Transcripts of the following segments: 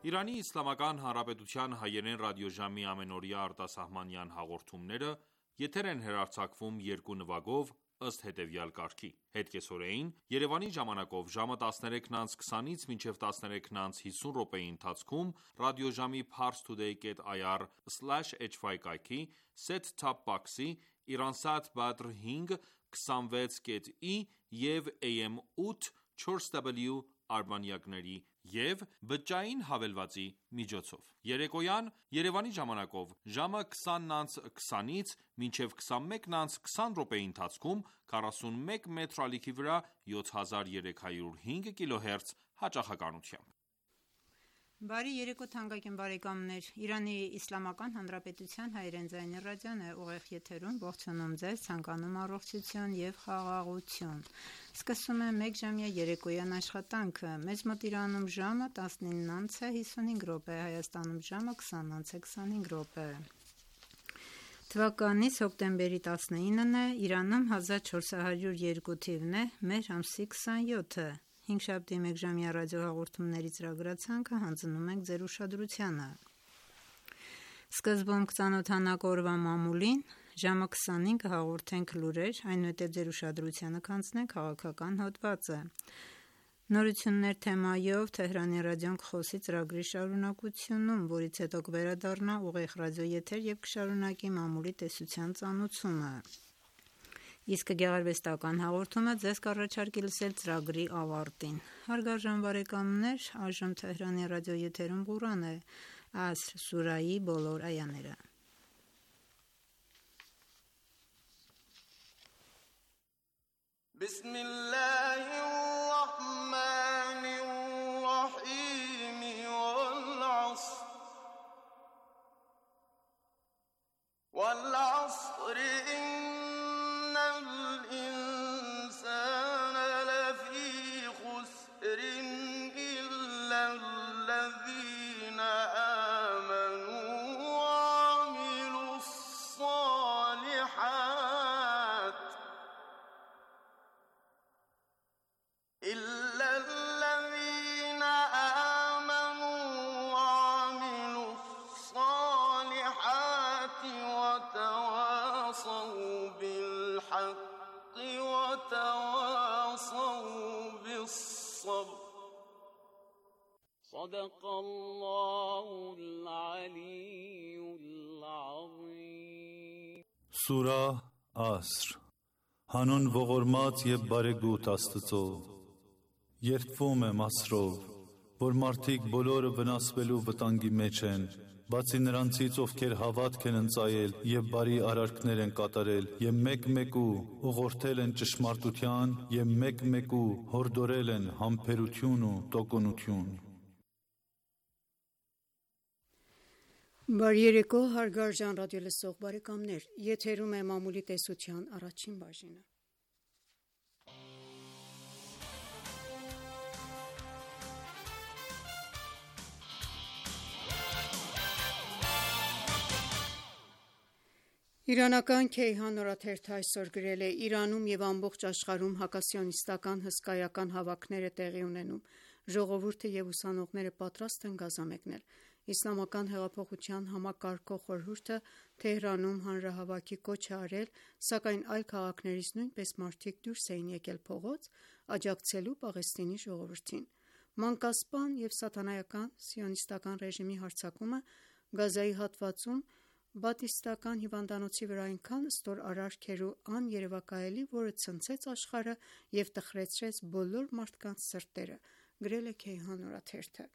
Իրանի Իսլամական Հանրապետության հայերեն ռադիոժամի ամենօրյա արտասահմանյան հաղորդումները եթեր են հեռարձակվում երկու նվագով ըստ հետևյալ կարգի: Հետկեսօրեին Երևանի ժամանակով ժամը 13:20-ից մինչև 13:50 րոպեի ընթացքում ռադիոժամի parstoday.ir/hy կայքի, set-top box-ի, Iransat Badr 5 26.ի և AM 8 4W արբանյակների և բջջային հավելվածի միջոցով: Երեկոյան Երևանի ժամանակով ժամը 20:20-ից մինչև 21:20 րոպեի ընթացքում 41 մետր ալիքի վրա 7305 կիլոհերց հաճախականությամբ: Բարի երեկո թանկագին բարեկամներ: Իրանի Իսլամական Հանրապետության հայերեն ձայնի ռադիոն է ուղիղ եթերում: Ողջունում ձեզ, ցանկանում առողջություն և խաղաղություն: Սկսում եմ մեկ ժամյա երեկոյան աշխատանքը: Մեզ մոտ Իրանում ժամը 19:55 րոպե, Հայաստանում ժամը 20:25 Թվականից հոկտեմբերի 19-ն է, Իրանում 1402 թիվն է, մեր ամսի 27-ը: Հինգշաբթի մեկ ժամյա ռադիոհաղորդումների ծրագրացանկը հանձնում ենք ձեր ուշադրությանը: Սկզբում կծանոթանանք օրվա մամուլին, ժամը 20-ին կհաղորդենք լուրեր, այնուհետև ձեր ուշադրությանը կհանձնենք քաղաքական հոդվածը: Նորություններ թեմայով Թեհրանի ռադիոն կխոսի ծրագրի շարունակությունում, որից հետո կվերադառնա ուղիղ ռադիոեթեր և կշարունակի մամուլի տեսության ծանոցումը: Իսկ գեղարվեստական հաղորդումը ձեզ կառաջարկի լսել ծրագրի ավարտին: Հարգարժան բարեկամներ, այժմ Թեհրանի ռադիոեթերում Ղուրան է, Ասր սուրահի բոլոր այաները: وَالْعَصْرِ إِنَّ الْإِنسَانَ لَفِي خُسْرٍ إِلَّا الَّذِينَ آمَنُوا وَعَمِلُوا الصَّالِحَاتِ وَتَوَاصَوْا بِالْحَقِّ وَتَوَاصَوْا بِالصَّبْرِ صَدَقَ اللَّهُ الْعَلِيُّ الْعَظِيمُ Սուրահ Ասր Հանուն ողորմած և բարեգութ Աստծո: Երդվում եմ Ասրով, որ մարդիկ բոլորը վնասվելու վտանգի մեջ են, բացի նրանցից, ովքեր հավատք են ընծայել և բարի արարքներ են կատարել և մեկ-մեկու ուղղորդել են ճշմարտության և մեկ-մեկու հորդորել են համբերություն ու տոկունություն: Բարի երեկո հարգարժան ռադիոլսող բարեկամներ: Եթերում է մամուլի տեսության առաջին բաժինը: Իրանական Քեյհան օրաթերթը այսօր գրել է. «Իրանում և ամբողջ աշխարհում հակասիոնիստական հսկայական հավաքներ է տեղի ունենում: Ժողովուրդը և ուսանողները պատրաստ են գազամեկնել: Իսլամական հեղափոխության համակարգող խորհուրդը Թեհրանում հանրահավաքի կոչ է արել, սակայն այլ քաղաքներից նույնպես մարդիկ դուրս էին եկել փողոց՝ աջակցելու Պաղեստինի ժողովրդին: Մանկասպան և սատանայական սիոնիստական ռեժիմի հարձակումը Գազայի հատվածում բատիստական հիվանդանոցի վրա այնքան ստորարարք էր ու աներևակայելի, որը ցնցեց աշխարհը և տխրեցրեց բոլոր մարդկանց սրտերը»: Գրել է Քեյհան օրաթերթը: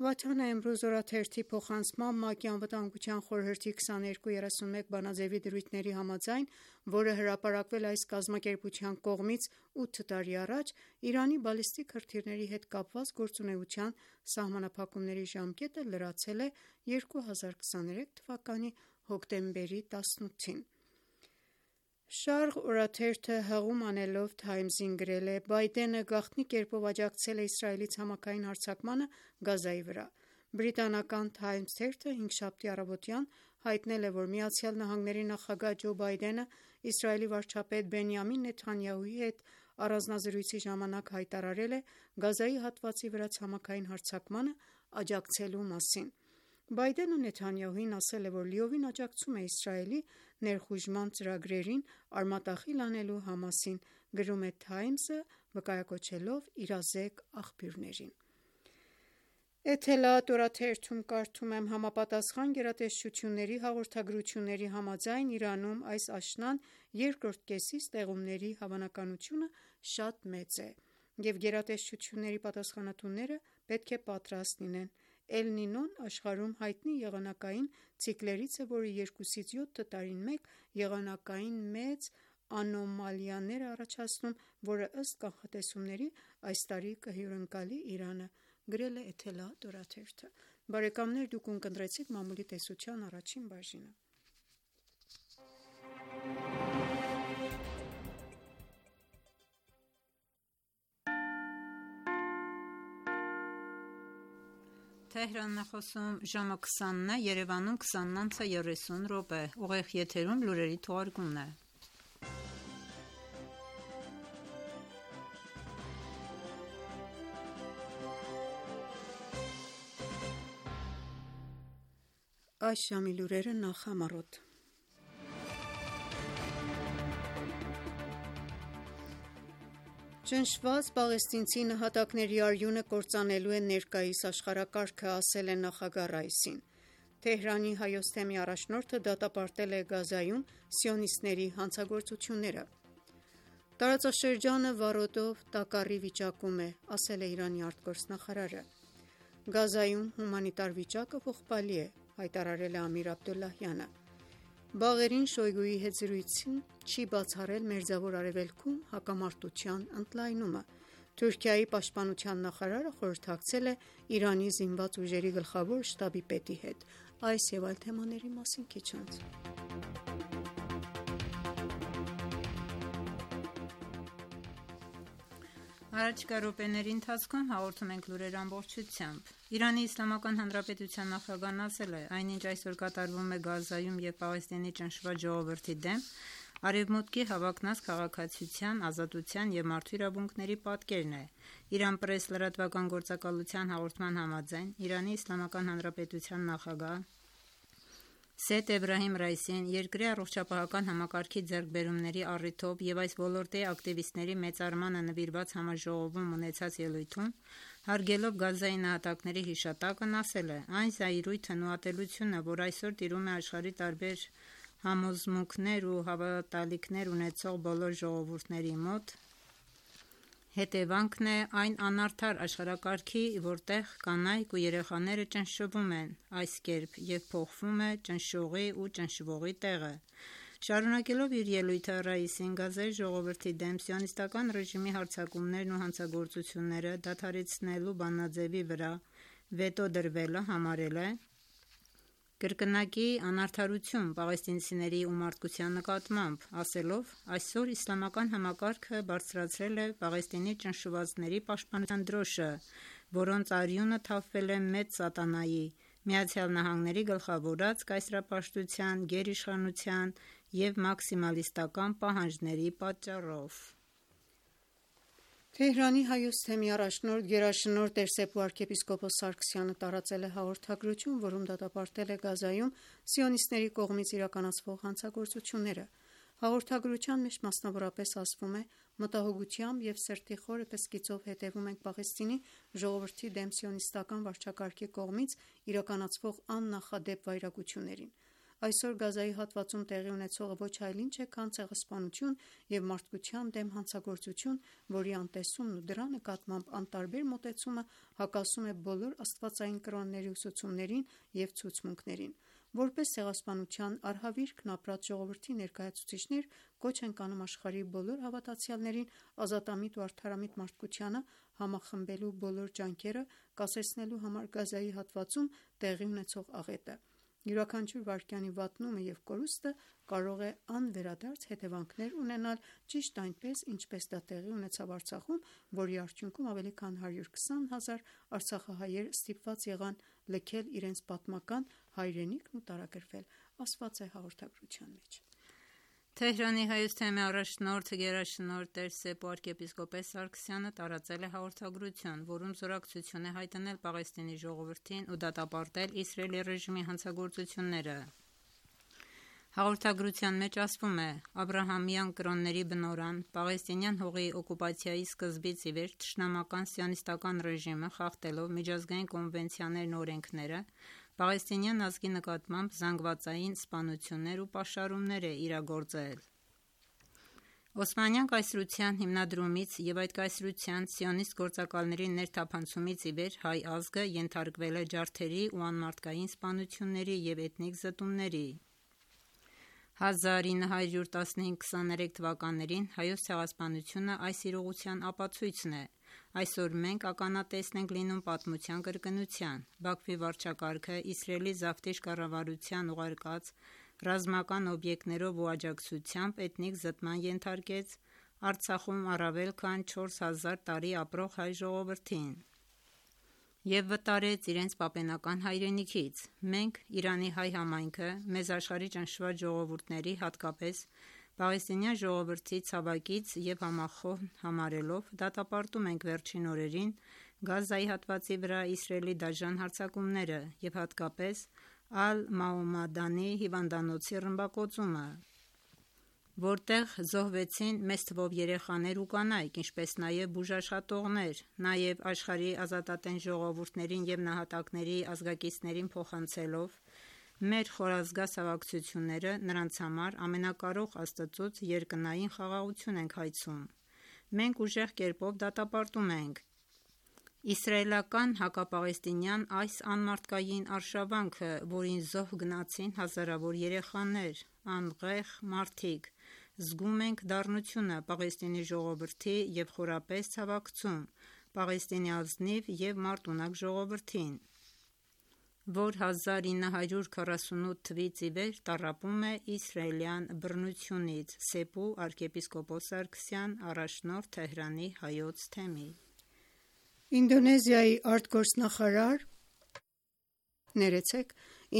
Վաթան Էմրուզ օրաթերթի փոխանցմամբ ՄԱԿ-ի Անվտանգության խորհրդի 2231 բանաձեւի դրույթների համաձայն, որը հրապարակվել է այս կազմակերպության կողմից 8 տարի առաջ, Իրանի բալիստիկ հրթիռների հետ կապված գործունեության սահմանափակումների ժամկետը լրացել է 2023 թվականի հոկտեմբերի 18-ին: Շարղ օրաթերթը հղում անելով Թայմզին գրել է. «Բայդենը գաղտնի կերպով աջակցել է Իսրայելի ցամաքային հարձակմանը Գազայի վրա»: Բրիտանական Թայմզ թերթը հինգշաբթի առավոտյան հայտնել է, որ ԱՄՆ նախագահ Ջո Բայդենը Իսրայելի վարչապետ Բենյամին Նեթանյահուի հետ առանձնազրույցի ժամանակ հայտարարել է Գազայի հատվածի վրա ցամաքային հարձակմանը աջակցելու մասին։ Բայդենը Նեթանյահուին ասել է, որ լիովին աջակցում է Իսրայելի ներխուժման ծրագրերին արմատախիլ անելու Համասին, գրում է Times-ը, վկայակոչելով իրազեկ աղբյուրներին։ Էթելադ օրաթերթում կարդում եմ. համապատասխան գերատեսչությունների հաղորդագրությունների համաձայն Իրանում այս աշնան երկրորդ կեսից տեղումների հավանականությունը շատ մեծ է, և գերատեսչությունների պատասխանատուները պետք է պատրաստ լինեն։ Էլ Նինոն աշխարհում հայտնի եղանակային ցիկլերից է, որը 2-ից 7 տարին մեկ եղանակային մեծ անոմալիաներ է առաջացնում, որը ըստ կանխատեսումների այս տարի կհյուրընկալի Իրանը, գրել է Էթելադ օրաթերթը։ Բարեկամներ, դուք ունկնդրեցիք մամուլի տեսության առաջին բաժինը։ Թեհրանն է խոսում, ժամը 20-ն է, Երևանում 20:30 ուղիղ եթերում լուրերի թողարկումն է։ Այս ժամի լուրերը նախամարոտ։ Ճնշված պաղեստինցի նահատակների արյունը կործանելու է ներկայիս աշխարհակարգը, ասել է նախագահ Ռայիսին։ Թեհրանի Հայոց թեմի առաջնորդը դատապարտել է Գազայում սիոնիստների հանցագործությունները։ Տարածաշրջանը վառոդով տակառի վիճակում է, ասել է Իրանի արտգործնախարարը։ Գազայում հումանիտար վիճակը ողբալի է, հայտարարել է Ամիր Աբդոլլահյանը։ Բաղերին Շոյգուի հետ զրույցին չի բացառել Մերձավոր Արևելքում հակամարտության ընդլայնումը։ Թուրքիայի պաշտպանության նախարարը խորհրդակցել է Իրանի զինված ուժերի գլխավոր շտաբի պետի հետ։ Այս և այլ թեմաների մասին քիչ անց։ Առաջիկա րոպեների ընթացքում հաղորդում ենք լուրեր ամբողջությամբ։ Իրանի Իսլամական Հանրապետության նախագահն ասել է, այնինչ այսօր կատարվում է Գազայում և Պաղեստինի ճնշված ժողովրդի դեմ Արևմուտքի հավակնած քաղաքացիության, ազատության և մարդու իրավունքների պատկերն է։ Իրան պրես լրատվական գործակալության հաղորդման համաձայն Իրանի Իսլամական Հանրապետության նախագահ Սեյեդ Էբրահիմ Ռայիսին երկրի առողջապահական համակարգի ձեռքբերումների առիթով և այս ոլորտի ակտիվիստների մեծարմանը նվիրված համաժողովում ունեցած ելույթում, հարգելով Գազայի նահատակների հիշատակն, ասել է. «Այն զայրույթն ու ատելությունը, որ այսօր տիրում է աշխարհի տարբեր համոզմունքներ ու հավատալիքներ ունեցող բոլոր ժողովուրդների մոտ, հետևանքն է այն անարդար աշխարհակարգի, որտեղ կանայք ու երեխաները ճնշվում են այս կերպ և փոխվում է ճնշողի ու ճնշվողի տեղը»։ Շարունակելով իր ելույթը, Ռայիսին Գազայի ժողովրդի դեմ սիոնիստական ռեժիմի հարձակումներն ու հանցագործությունները դադարեցնելու բանաձևի վրա վետո դրվելը համարել է կրկնակի անարդարություն պաղեստինցիների ու մարդկության նկատմամբ, ասելով. «Այսօր իսլամական համակարգը բարձրացրել է Պաղեստինի ճնշվածների պաշտպանության դրոշը, որոնց արյունը թափվել է մեծ սատանայի, ԱՄՆ-ի գլխավորած կայսերապաշտության, գերիշխանության և մաքսիմալիստական պահանջների պատճառով»։ Թեհրանի Հայոց թեմի առաջնորդ գերաշնորհ Տերսեպու arczepiskopos Սարգսյանը տարածել է հաղորդագրություն, որում դատապարտել է Գազայում սիոնիստների կողմից իրականացվող հանցագործությունները։ Հաղորդագրության մեջ մասնավորապես ասվում է. «Մտահոգությամբ և սրտի խորը կսկիծով հետևում ենք Պաղեստինի ժողովրդի դեմ սիոնիստական վարչակարգի կողմից իրականացվող աննախադեպ վայրագություններին։ Այսօր Գազայի հատվածում տեղի ունեցողը ոչ այլ ինչ է, քան ցեղասպանություն և մարդկության դեմ հանցագործություն, որի անտեսումն ու դրա նկատմամբ անտարբեր մոտեցումը հակասում է բոլոր աստվածային կրոնների ուսուցումներին և ցուցմունքներին։ Որպես ցեղասպանության արհավիրքն ապրած ժողովրդի ներկայացուցիչներ կոչ ենք անում աշխարհի բոլոր հավատացյալներին ազատամիտ ու արդարամիտ մարդկությանը համախմբելու բոլոր ջանքերը կասեցնելու համար Գազայի հատվածում տեղի ունեցող աղետը։ Յուրաքանչյուր վայրկյանի վատնումը և կորուստը կարող է անվերադարձ հետևանքներ ունենալ, ճիշտ այնպես, ինչպես դա տեղի ունեցավ Արցախում, որի արդյունքում ավելի քան 120 հազար արցախահայեր ստիպված եղան լքել իրենց պատմական հայրենիքն ու տարագրվել, ասված է հաղորդագրության մեջ։ Թեհրանի հայոց թեմի առաջնորդ գերաշնորհ Տեր Սեպ arczepiskopos Սարգսյանը տարածել է հաղորդագրություն, որում զորակցություն է հայտնել Պաղեստինի ժողովրդին ու դատապարտել Իսրայելի ռեժիմի հանցագործությունները։ Հաղորդագրության մեջ ասվում է. Աբրահամյան կրոնների բնօրրան Պաղեստինյան հողի օկուպացիայի սկզբից ի վեր թշնամական սիոնիստական ռեժիմը խախտելով միջազգային կոնվենցիաներն ու օրենքները Պաղեստինյան ազգի նկատմամբ զանգվածային սպանություններ ու պաշարումներ է իրագործել։ Օսմանյան կայսրության հիմնադրումից եւ այդ կայսրության սիոնիստ գործակալների ներթափանցումից ի վեր հայ ազգը ենթարկվել է ջարդերի ու անմարդկային սպանությունների եւ էթնիկ զտումների։ 1915-23 թվականներին հայոց ցեղասպանությունը այս իրողության ապացույցն է։ Այսօր մենք ականատեսն ենք լինում պատմության կրկնության։ Բաքվի վարչակարգը Իսրայելի զավթիչ կառավարության ուղարկած ռազմական օբյեկտներով ու աջակցությամբ էթնիկ զտման ենթարկեց Արցախում առավել քան 4000 տարի ապրող հայ ժողովրդին և վտարեց իրենց պապենական հայրենիքից։ Մենք, Իրանի հայ համայնքը, մեզ աշխարհի ճնշված ժողովուրդների, հատկապես պաղեստինյան ժողովրդի ցավակից և համախոհ համարելով, դատապարտում ենք վերջին օրերին Գազայի հատվածի վրա Իսրայելի դաժան հարձակումները և հատկապես Ալ-Մաումադանի հիվանդանոցի ռմբակոծումը, որտեղ զոհվեցին մեծ թվով երեխաներ ու կանայք, ինչպես նաև բուժաշխատողներ, նաև աշխարհի ազատատենչ ժողովուրդներին և նահատակների ազգակիցներին փոխանցելով մեր խորազգաց հավակցությունները նրանց համար ամենակարող Աստծուց երկնային խաղաղություն ենք հայցում։ Մենք ուժեղ կերպով դատապարտում ենք իսրայելական հակապաղեստինյան այս անմարդկային արշավանքը, որին զոհ գնացին հազարավոր երեխաներ, անուղեղ մարդիկ։ Զգում ենք դառնությունը Պաղեստինի ժողովրդի և խորապես ցավակցում Պաղեստինի ազնիվ և մարտունակ ժողովրդին, որ 1948 թվականից ի վեր տառապում է իսրայելյան բռնությունից։ Սեպու arczepiskopos Սարգսյան, առաջնորդ Թեհրանի հայոց թեմի։ Ինդոնեզիայի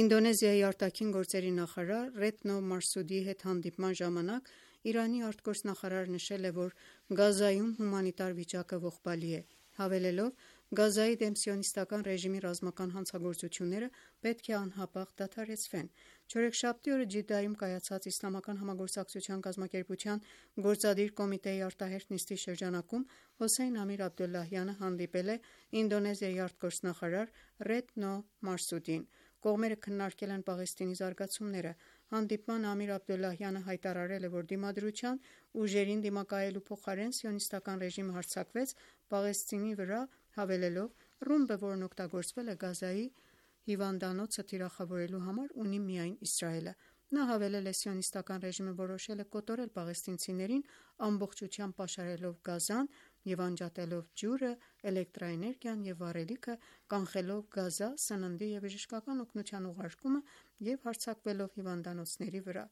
Ինդոնեզիայի արտաքին գործերի նախարար Ռետնո Մարսուդիի հետ հանդիպման ժամանակ Իրանի արտգործնախարարը նշել է, որ Գազայում հումանիտար վիճակը ողբալի է, հավելելով. Գազայի դեմ սիոնիստական ռեժիմի ռազմական հանցագործությունները պետք է անհապաղ դադարեցվեն։ Չորեքշաբթի օրը Ջիդայում կայացած Իսլամական համագործակցության կազմակերպության գործադիր կոմիտեի արտահերթ նիստի շրջանակում Հոսեյն Ամիր Աբդոլլահյանը հանդիպել է Ինդոնեզիայի արտգործնախարար Ռետնո Մարսուդիին։ Կողմերը քննարկել են Պաղեստինի զարգացումները։ Հանդիպման Ամիր Աբդոլլահյանը հայտարարել է, որ դիմադրության ուժերին դիմակայելու փոխարեն սիոնիստական ռեժիմը հարձակվեց Պաղեստինի վրա, հավելելով. ռումբը, որն օգտագործվել է Գազայի հիվանդանոցը թիրախավորելու համար, ունի միայն Իսրայելը։ Նա հավելել է. սիոնիստական ռեժիմը որոշել է կոտորել պաղեստինցիներին ամբողջությամբ պաշարելով Գազան և անջատելով ջուրը, էլեկտրաէներգիան և վառելիքը, կանխելով Գազա սննդի և բժշկական օգնության ուղարկումը և հարձակվելով հիվանդանոցների վրա։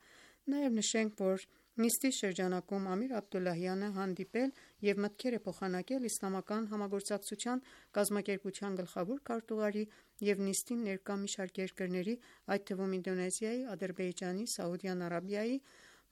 Նաև նշենք, որ նիստի շրջանակում Ամիր Աբդոլլահյանը հանդիպել և մտքեր է փոխանակել Իսլամական համագործակցության կազմակերպության գլխավոր քարտուղարի և նիստին ներկա մի շարք երկրների, այդ թվում Ինդոնեզիայի, Ադրբեջանի, Սաուդյան Արաբիայի,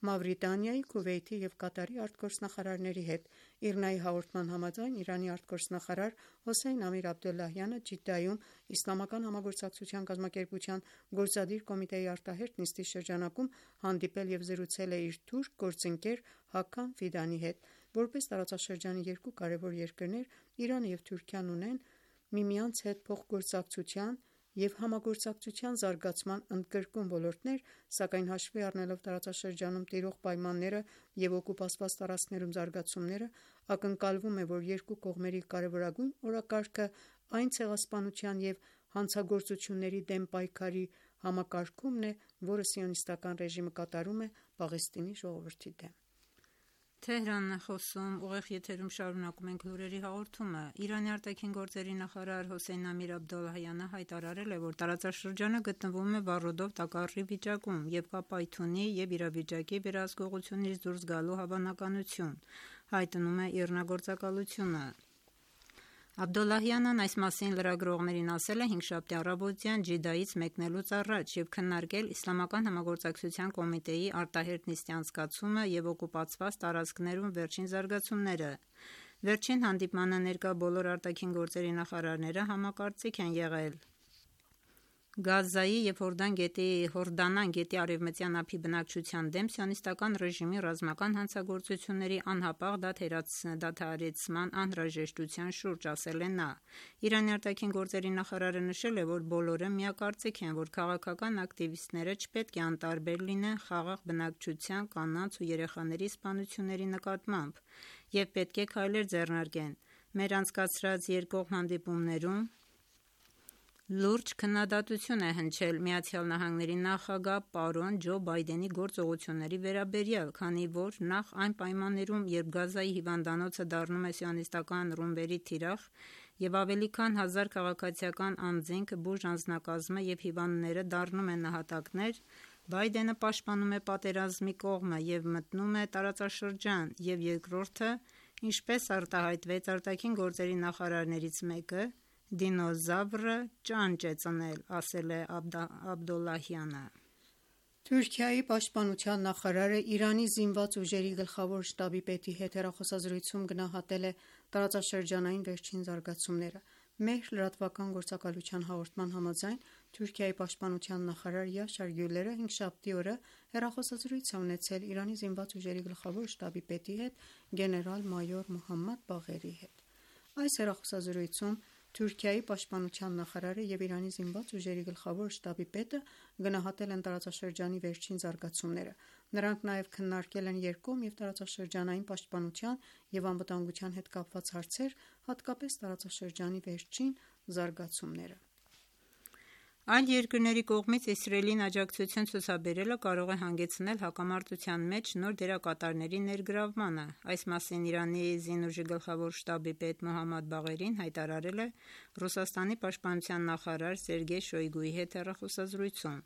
Մավրիտանիայի, Քուվեյթի և Կատարի արտգործնախարարների հետ։ ԻՌՆԱ-ի հաղորդման համաձայն Իրանի արտգործնախարար Հոսեյն Ամիր Աբդոլլահյանը Ջիդայում Իսլամական համագործակցության կազմակերպության գործադիր կոմիտեի արտահերթ նիստի շրջանակում հանդիպել և զրուցել է իր թուրք գործընկեր Հաքան Ֆիդանի հետ։ Որպես տարածաշրջանի երկու կարևոր երկրներ, Իրանը և Թուրքիան ունեն միմյանց հետ փոխգործակցության և համագործակցության զարգացման ընդգրկուն ոլորտներ, սակայն հաշվի առնելով տարածաշրջանում տիրող պայմանները և օկուպացված տարածքներում զարգացումները, ակնկալվում է, որ երկու կողմերի կարևորագույն օրակարգը այն ցեղասպանության և հանցագործությունների դեմ պայքարի համակարգումն է, որը սիոնիստական ռեժիմը կատարում է Պաղեստինի ժողովրդի դեմ։ Իրանի արտաքին գործերի նախարար Հոսեյն Ամիր Աբդոլլահյանը հայտարարել է, որ տարածաշրջանը գտնվում է վառոդով տակառի վիճակում և կա պայթյունի և իրավիճակի վերահսկողությունից դուրս գալու հավանականություն, հայտնում է իռնա գործակալությունը։ Աբդոլլահյանն այս մասին լրագրողներին ասել է հինգշաբթի առավոտյան Ջիդայից մեկնելուց առաջ և քննարկել Իսլամական համագործակցության կոմիտեի արտահերթ նիստի անցկացումը և օկուպացված տարածքներում վերջին զարգացումները։ Վերջին հանդիպմանը ներկա բոլոր արտաքին գործերի նախարարները համակարծիք են եղել Գազայի և Հորդանան գետի արևմտյան ափի բնակչության դեմ սիոնիստական ռեժիմի ռազմական հանցագործությունների անհապաղ դադարեցման անհրաժեշտության շուրջ, ասել է նա։ Իրանի արտաքին գործերի նախարարը նշել է, որ բոլորը միակարծիք են, որ քաղաքական ակտիվիստները չպետք է անտարբեր լինեն խաղաղ բնակչության, կանանց ու երեխաների սպանությունների նկատմամբ և պետք է քայլեր ձեռնարկեն։ Մեր անցկացրած երկկողմ հանդիպումներում լուրջ քննադատություն է հնչել ԱՄՆ նախագահ պարոն Ջո Բայդենի գործողությունների վերաբերյալ, քանի որ նախ այն պայմաններում, երբ Գազայի հիվանդանոցը դառնում է սիոնիստական ռումբերի թիրախ և ավելի քան 1000 քաղաքացիական անձինք, բուժ անձնակազմը և հիվանդները դառնում են նահատակներ, Բայդենը պաշտպանում է պատերազմի կողմը և մտնում է տարածաշրջան, և երկրորդը, ինչպես արտահայտվեց արտաքին գործերի նախարարներից մեկը, դինոզավրը ճանճ է ծնել, ասել է Աբդոլլահյանը։ Թուրքիայի պաշտպանության նախարարը Իրանի զինված ուժերի գլխավոր շտաբի պետի հետ հեռախոսազրույցում գնահատել է տարածաշրջանային վերջին զարգացումները։ Մեր լրատվական գործակալության հաղորդման համաձայն Թուրքիայի պաշտպանության նախարար Յաշար Գյուլերը հինգշաբթի օրը հեռախոսազրույց է ունեցել Իրանի զինված ուժերի գլխավոր շտաբի պետի հետ գեներալ-մայոր Մոհամմադ Բաղերի հետ։ Այս հեռախոսազրույցում Թուրքիայի պաշտպանության նախարարը և Իրանի զինված ուժերի գլխավոր շտաբի պետը գնահատել են տարածաշրջանի վերջին զարգացումները։ Նրանք նաև քննարկել են երկկողմ և տարածաշրջանային պաշտպանության և անվտանգության հետ կապված հարցեր, հատկապես տարածաշրջանի վերջին զարգացումները։ Այլ երկրների կողմից Իսրայելին աջակցություն ցուցաբերելը կարող է հանգեցնել հակամարտության մեջ նոր դերակատարների ներգրավմանը։ Այս մասին Իրանի զինուժի գլխավոր շտաբի պետ Մոհամմադ Բաղերին հայտարարել է Ռուսաստանի պաշտպանության նախարար Սերգեյ Շոյգուի հետ հեռախոսազրույցում։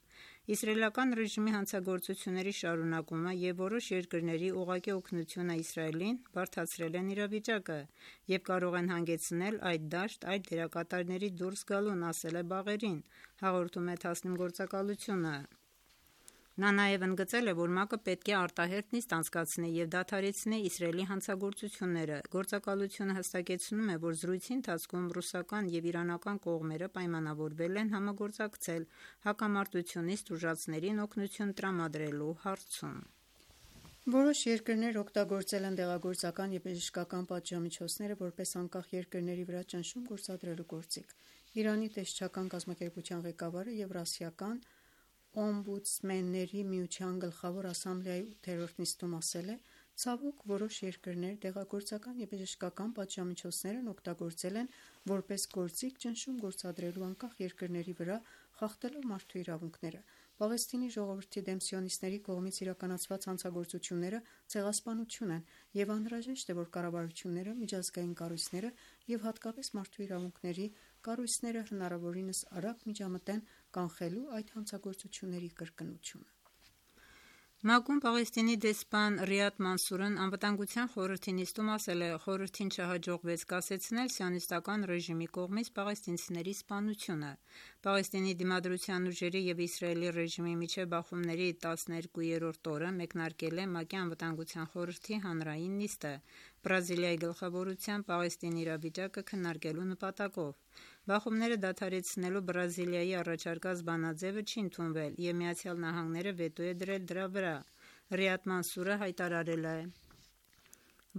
Իսրայելական ռեժիմի հանցագործությունների շարունակումը և որոշ երկրների ուղղակի օգնությունը Իսրայելին բարդացրել են իրավիճակը և կարող են հանգեցնել այդ դաշտ այլ դերակատարների դուրս գալուն, ասել է Բաղերին, հաղորդում է Թասնիմ գործակալությունը։ Նա նաև ընդգծել է, որ ՄԱԿ-ը պետք է արտահերթ նիստ անցկացնի և դադարեցնի Իսրայելի հանցագործությունները։ Գործակալությունը հստակեցնում է, որ զրույցի ընթացքում ռուսական և իրանական կողմերը պայմանավորվել են համագործակցել հակամարտությունից տուժածներին օգնություն տրամադրելու հարցում։ Որոշ երկրներ օգտագործել են դեղագործական և բժշկական պատժամիջոցները որպես անկախ երկրների վրա ճնշում գործադրելու գործիք։ Իրանի տեսչական կազմակերպության ղեկավարը Եվրասիական օմբուդսմենների միության գլխավոր ասամբլեայի 8-րդ նիստում ասել է. «Ցավոք, որոշ երկրներ դեղագործական և բժշկական պատժամիջոցներն օգտագործել են որպես գործիք ճնշում գործադրելու անկախ երկրների վրա, խախտելով մարդու իրավունքները։ Պաղեստինի ժողովրդի դեմ սիոնիստների կողմից իրականացված հանցագործությունները ցեղասպանություն են, և անհրաժեշտ է, որ կառավարությունները, միջազգային կառույցները և հատկապես մարդու իրավունքների կառույցները հնարավորինս արագ միջամտեն կանխելու այդ հանցագործությունների կրկնությունը»։ ՄԱԿ-ում Պաղեստինի դեսպան Ռիադ Մանսուրն Անվտանգության խորհրդի նիստում ասել է. «Խորհրդին չհաջողվեց կասեցնել սիոնիստական ռեժիմի կողմից պաղեստինցիների սպանությունը»։ Պաղեստինի դիմադրության ուժերի և Իսրայելի ռեժիմի միջև բախումների 12-րդ օրը մեկնարկել է ՄԱԿ-ի Անվտանգության խորհրդի հանրային նիստը՝ Բրազիլիայի գլխավորությամբ Պաղեստինի իրավիճակը քննարկելու նպատակով։ Բախումները դադարեցնելու Բրազիլիայի առաջարկած բանաձևը չի ընդունվել, և ԱՄՆ-ը վետո է դրել դրա վրա։ Ռիադ Մանսուրը հայտարարել է,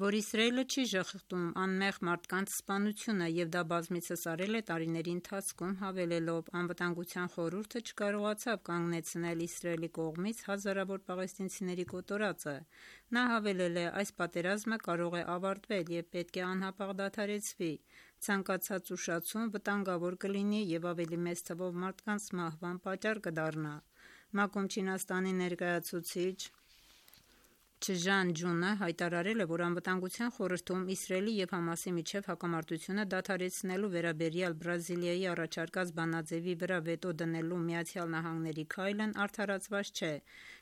որ Իսրայելը չի ժխտում անմեղ մարդկանց սպանությունը և դա բազմիցս արել է տարիների ընթացքում, հավելելով. «Անվտանգության խորհուրդը չկարողացավ կանգնեցնել Իսրայելի կողմից հազարավոր պաղեստինցիների կոտորածը»։ Նա հավելել է. «Այս պատերազմը կարող է ավարտվել և պետք է անհապաղ դադարեցվի։ Ցանկացած ուշացում վտանգավոր կլինի և ավելի մեծ թվով մարդկանց մահվան պատճառ կդառնա»։ ՄԱԿ-ում Չինաստանի ներկայացուցիչ Չժան Ջունը հայտարարել է, որ Անվտանգության խորհրդում Իսրայելի և ՀԱՄԱՍ-ի միջև հակամարտությունը դադարեցնելու վերաբերյալ Բրազիլիայի առաջարկած բանաձևի վրա վետո դնելու ԱՄՆ-ի քայլն արդարացված չէ։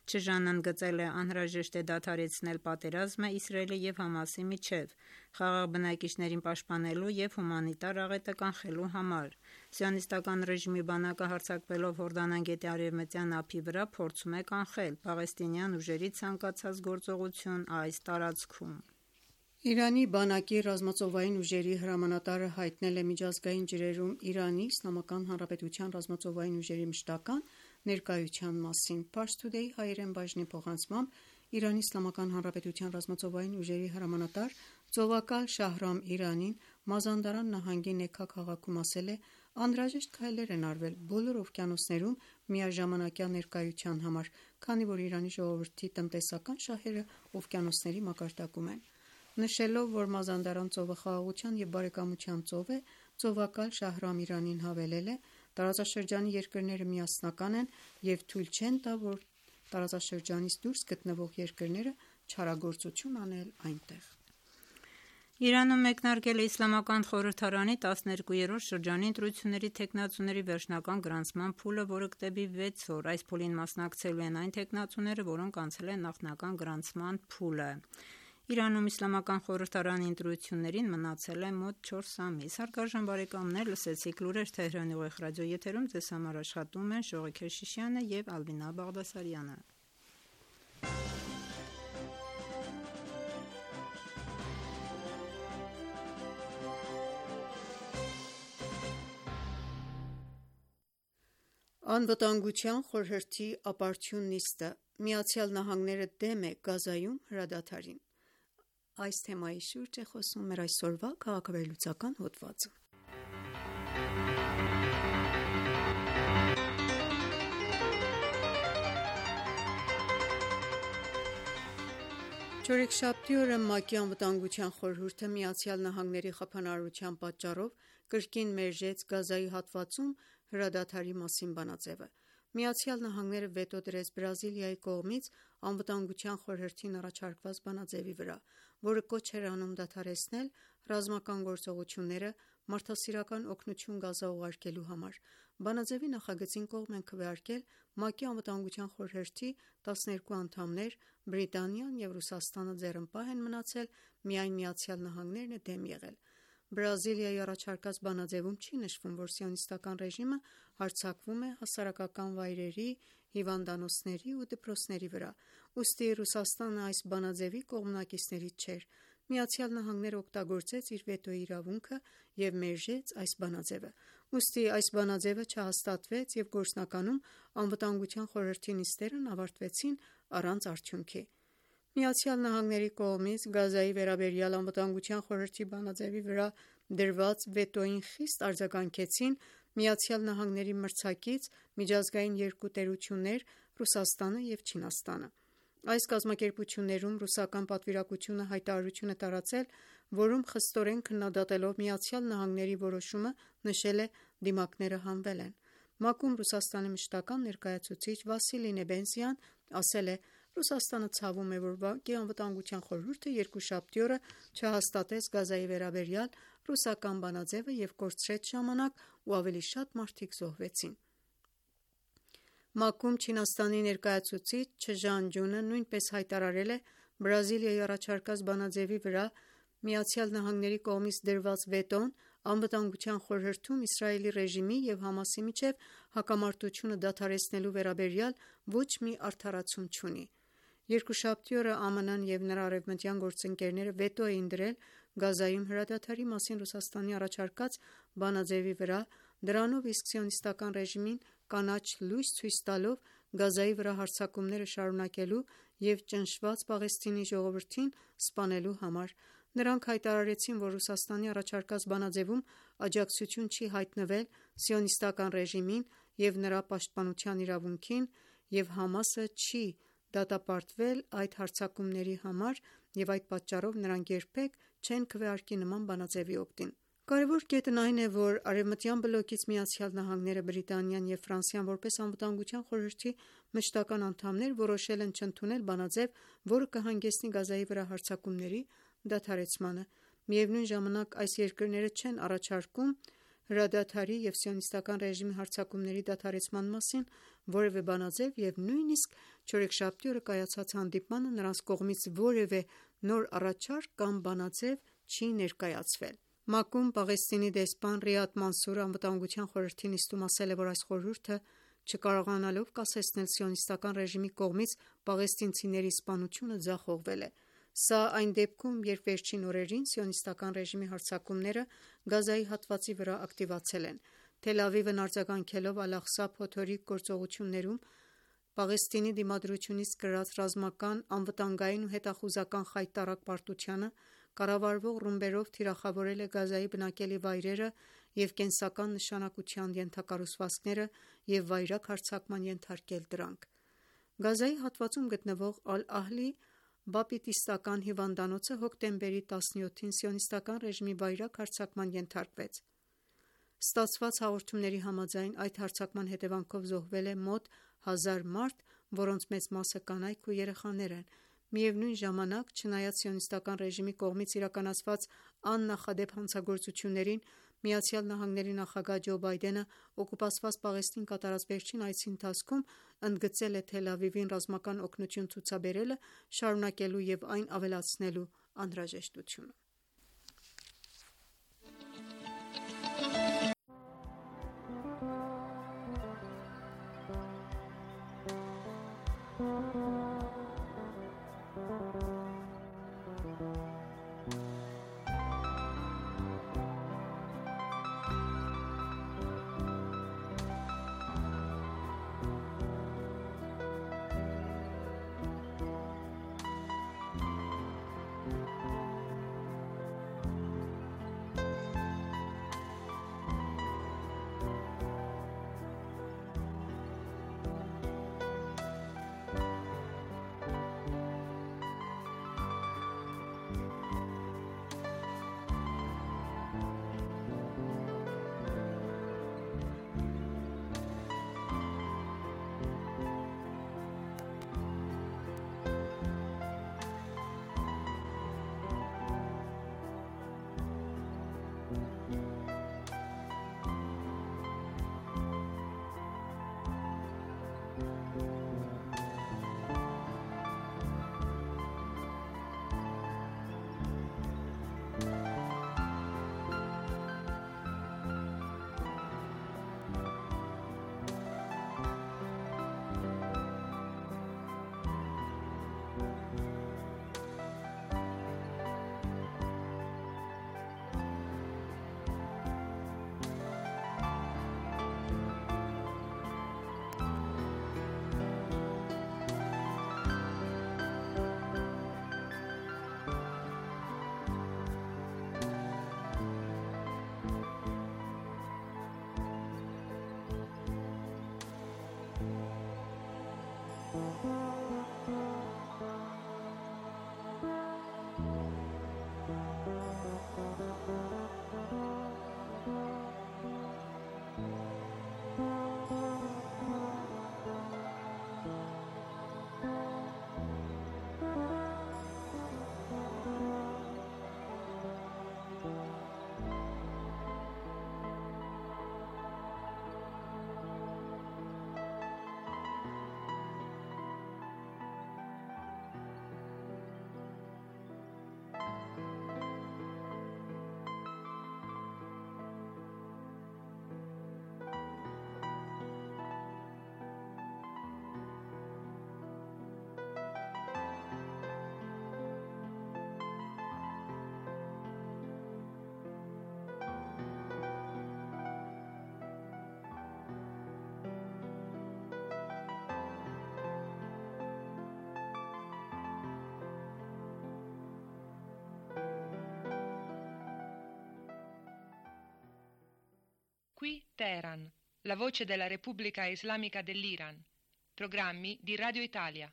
Չժանն ընդգծել է. «Անհրաժեշտ է դադարեցնել պատերազմը Իսրայելի և ՀԱՄԱՍ-ի միջև»։ խաղաղ բնակիչներին պաշտպանելու և հումանիտար աղետը կանխելու համար։ Սիոնիստական ռեժիմի բանակը հարձակվելով Հորդանան գետի արևմտյան ափի վրա փորձում է կանխել պաղեստինյան ուժերի ցանկացած գործողություն այս տարածքում։ Իրանի բանակի ռազմածովային ուժերի հրամանատարը հայտնել է միջազգային ջրերում Իրանի Իսլամական Հանրապետության ռազմածովային ուժերի մշտական ներկայության մասին։ Pars Today հայերեն բաժնի փոխանցմամբ Իրանի Իսլամական Հանրապետության ռազմածովային ուժերի հրամանատար ծովակալ Շահրամ Իրանին Մազանդարան նահանգի Նեքա քաղաքում ասել է. «Անհրաժեշտ քայլեր են արվել բոլոր օվկիանոսներում միաժամանակյա ներկայության համար, քանի որ Իրանի ժողովրդի տնտեսական շահերը օվկիանոսների մակարդակում են»։ Նշելով, որ Մազանդարան ծովը խաղաղության և բարեկամության ծով է, ծովակալ Շահրամ Իրանին հավելել է. «Տարածաշրջանի երկրները միասնական են և թույլ չեն տա, որ տարածաշրջանից դուրս գտնվող երկրները չարագործություն անել այնտեղ»։ Իրանում մեկնարկել է Իսլամական խորհրդարանի 12-րդ շրջանի ընտրությունների թեկնածուների վերջնական գրանցման փուլը, որը կտևի 6 օր։ Այս փուլին մասնակցելու են այն թեկնածուները, որոնք անցել են նախնական գրանցման փուլը։ Իրանում Իսլամական խորհրդարանի ընտրություններին մնացել է մոտ 4 ամիս։ Հարգարժան բարեկամներ, լսեցիք լուրեր Թեհրանի ուղիղ ռադիոեթերում, ձեզ համար աշխատում են Շողիկ Քեշիշյանը և Ալբինա Բաղդասարյանը։ Անվտանգության խորհրդի ապարդյուն նիստը՝ ԱՄՆ-ը դեմ է Գազայում հրադադարին։ Այս թեմայի շուրջ է խոսում մեր այսօրվա քաղաքավերլուծական հոդվածը։ Չորեքշաբթի օրը ՄԱԿ-ի անվտանգության խորհուրդը ԱՄՆ-ի խափանարարության պատճառով կրկին մերժեց Գազայի հատվածում հրադադարի մասին բանաձևը։ ԱՄՆ-ը վետո դրեց Բրազիլիայի կողմից անվտանգության խորհրդին առաջարկված բանաձևի վրա, որը կոչ էր անում դադարեցնել ռազմական գործողությունները մարդասիրական օգնություն Գազա ուղարկելու համար։ Բանաձևի նախագծին կողմ են քվեարկել ՄԱԿ-ի անվտանգության խորհրդի 12 անդամներ, Բրիտանիան և Ռուսաստանը ձեռնպահ են մնացել, միայն ԱՄՆ-ն է դեմ եղել։ Բրազիլիայի առաջարկած բանաձևում չի նշվում, որ սիոնիստական ռեժիմը հարձակվում է հասարակական վայրերի, հիվանդանոցների ու դպրոցների վրա, ուստի Ռուսաստանը այս բանաձևի կողմնակիցներից չէր։ ԱՄՆ-ն օգտագործեց իր վետոյի իրավունքը և մերժեց այս բանաձևը։ Ուստի այս բանաձևը չհաստատվեց և գործնականում անվտանգության խորհրդի նիստերն ավարտվեցին առանց արդյունքի։ ԱՄՆ-ի կողմից Գազայի վերաբերյալ անվտանգության խորհրդի բանաձևի վրա դրված վետոյին խիստ արձագանքեցին ԱՄՆ-ի մրցակից միջազգային երկու տերություններ՝ Ռուսաստանը և Չինաստանը։ Այս կազմակերպություններում ռուսական պատվիրակությունը հայտարարություն է տարածել, որում խստորեն քննադատելով ԱՄՆ-ի որոշումը նշել է. «Դիմակները հանվել են»։ ՄԱԿ-ում Ռուսաստանի մշտական ներկայացուցիչ Վասիլի Նեբենզյան ասել է. «Ռուսաստանը ցավում է, որ ՄԱԿ-ի անվտանգության խորհուրդը երկուշաբթի օրը չհաստատեց Գազայի վերաբերյալ ռուսական բանաձևը և կորցրեց ժամանակ ու ավելի շատ մարդիկ զոհվեցին»։ ՄԱԿ-ում Չինաստանի ներկայացուցիչ Չժան Ջունը նույնպես հայտարարել է. «Բրազիլիայի առաջարկած բանաձևի վրա ԱՄՆ-ի կողմից դրված վետոն անվտանգության խորհրդում Իսրայելի ռեժիմի և ՀԱՄԱՍ-ի միջև հակամարտությունը դադարեցնելու վերաբերյալ ոչ մի արդարացում չունի»։ Երկուշաբթի օրը ԱՄՆ-ն և նրա արևմտյան գործընկերները վետո էին դրել Գազայում հրադադարի մասին Ռուսաստանի առաջարկած բանաձևի վրա, դրանով իսկ սիոնիստական ռեժիմին կանաչ լույս ցույց տալով Գազայի վրա հարձակումները շարունակելու և ճնշված Պաղեստինի ժողովրդին սպանելու համար։ Նրանք հայտարարեցին, որ Ռուսաստանի առաջարկած բանաձևում աջակցություն չի հայտնվել սիոնիստական ռեժիմին և նրա պաշտպանության իրավունքին, և ՀԱՄԱՍ-ը չի դատապարտվել այդ հարձակումների համար, և այդ պատճառով նրանք երբեք չեն քվեարկի նման բանաձևի օգտին։ Կարևոր կետն այն է, որ արևմտյան բլոկից ԱՄՆ-ը, Բրիտանիան և Ֆրանսիան որպես Անվտանգության խորհրդի մշտական անդամներ որոշել են չընդունել բանաձև, որը կհանգեցնի Գազայի վրա հարձակումների դադարեցմանը։ Միևնույն ժամանակ այս երկրները չեն առաջարկում հրադադարի և սիոնիստական ռեժիմի հարձակումների դադարեցման մասին որևէ բանաձև և նույնիսկ չորեքշաբթի օրը կայացած հանդիպմանը նրանց կողմից որևէ նոր առաջարկ կամ բանաձև չի ներկայացվել։ ՄԱԿ-ում Պաղեստինի դեսպան Ռիադ Մանսուրը Անվտանգության խորհրդի նիստում ասել է, որ այս խորհուրդը չկարողանալով կասեցնել սիոնիստական ռեժիմի կողմից պաղեստինցիների սպանությունը ձախողվել է։ Սա այն դեպքում, երբ վերջին օրերին սիոնիստական ռեժիմի հարձակումները Գազայի հատվածի վրա ակտիվացել են։ Թել Ավիվն արձագանքելով Ալ-Աղսա փոթորիկ գործողություններում Պաղեստինի դիմադրությունից կրած ռազմական, անվտանգային ու հետախուզական խայտառակ պարտությանը, կառավարվող ռումբերով թիրախավորել է Գազայի բնակելի վայրերը և կենսական նշանակության ենթակառուցվածքները և վայրագ հարձակման ենթարկել դրանք։ Գազայի հատվածում գտնվող Ալ-Ահլի բապտիստական հիվանդանոցը հոկտեմբերի 17-ին սիոնիստական ռեժիմի վայրագ հարձակման ենթարկվեց։ Ստացված հաղորդումների համաձայն այդ հարձակման հետևանքով զոհվել է մոտ 1000 մարդ, որոնց մեծ մասը կանայք ու երեխաներ են։ Միևնույն ժամանակ, չնայած սիոնիստական ռեժիմի կողմից իրականացված աննախադեպ հանցագործություններին, ԱՄՆ նախագահ Ջո Բայդենը օկուպացված Պաղեստին կատարած վերջին այցի ընթացքում ընդգծել է Թել Ավիվին ռազմական օգնություն ցուցաբերելը շարունակելու և այն ավելացնելու անհրաժեշտությունը։ Qui Teheran, la voce della Repubblica Islamica dell'Iran. Programmi di Radio Italia.